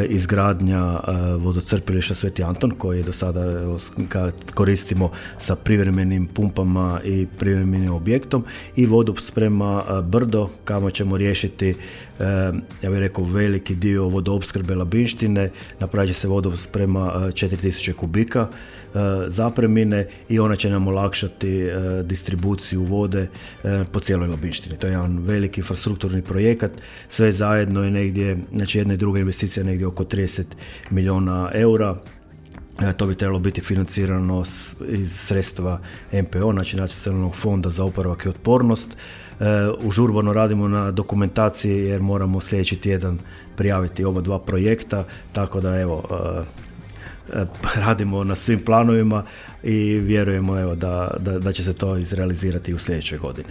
izgradnja vodocrpilišta Sveti Anton koji do sada koristimo sa privremenim pumpama i privremenim objektom i vodosprema Brdo kamo ćemo riješiti ja bih rekao veliki dio vodoopskrbe Labinštine, napravit će se vodosprema 4000 kubika zapremine i ona će nam olakšati distribuciju vode po cijeloj Labinštini. To je jedan veliki infrastrukturni projekat, sve zajedno je negdje, znači jedna i druga investicija negdje oko 30 milijuna eura. To bi trebalo biti financirano iz sredstva NPO, znači Nacionalnog fonda za oporavak i otpornost. Užurbano radimo na dokumentaciji jer moramo sljedeći tjedan prijaviti oba dva projekta, tako da evo, radimo na svim planovima i vjerujemo evo, da će se to izrealizirati u sljedećoj godini.